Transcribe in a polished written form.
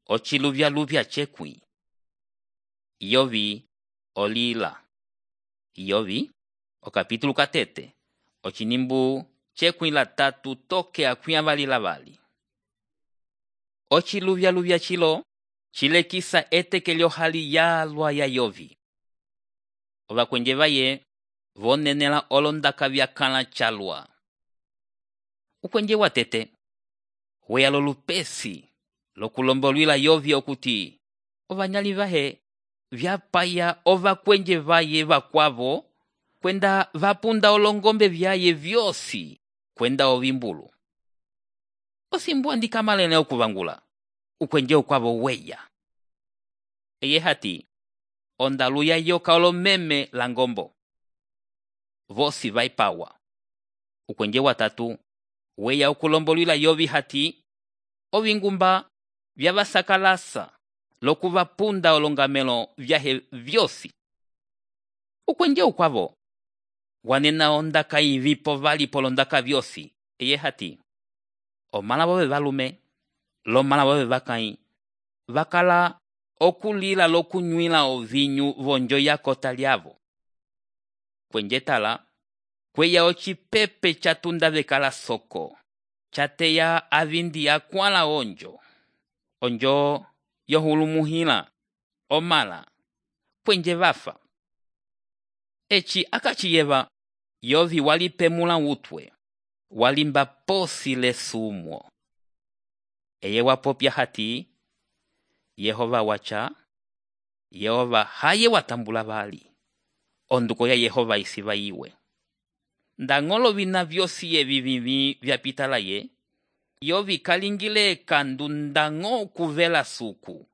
ociluvyaluvya cekwi. Yovi olila. Yovi okapítulo katete ocinimbu cekwi la tatu toke akwia vali. Ociluvyaluvya cilo cilekisa eteke lyohali yalwa ya Yovi. Ovakwenje vaye vonenela olondaka vyakala calwa. Ukwenje watete weya lolupesi lokulombolwila Yovi okuti ovanyali vahe vyapaya ovakwenje vaye vakwavo kwenda vapunda olongombe vyaye vyosi kwenda ovimbulu. Osimbu andikamalene okuvangula ukwenje ukwavo weya. Eye hati ondalu ya yoka olomeme la ngombo. Vosi vaipawa. Ukwenje watatu weya okulombolwila Yovi hati ovingumba vyavasakalasa lokuvapunda olongamelo vyahe vyosi. Ukwenje ukwavo wanena ondaka ivipo vali polondaka vyosi. Eye hati omala bove valume lomala bove vakai vakala okulila lokunywila ovinyu vonjo ya kota lyavo. Kwenje tala kweya ocipepe chatunda vekala soko chateya avindi akwala onjo yohulumuhila omala kwenje vafa. Eci akachiyeva Yovi walipemula utwe walimba posi lesumwo. Eye wapopya hati Yehova wacha, Yehova haye watambula vali. Onduko ya Yehova isiva iwe. Ndangolo vina vyosi evivivi vyapitala ye, Yovi kalingile kandu ndango kuvela suku.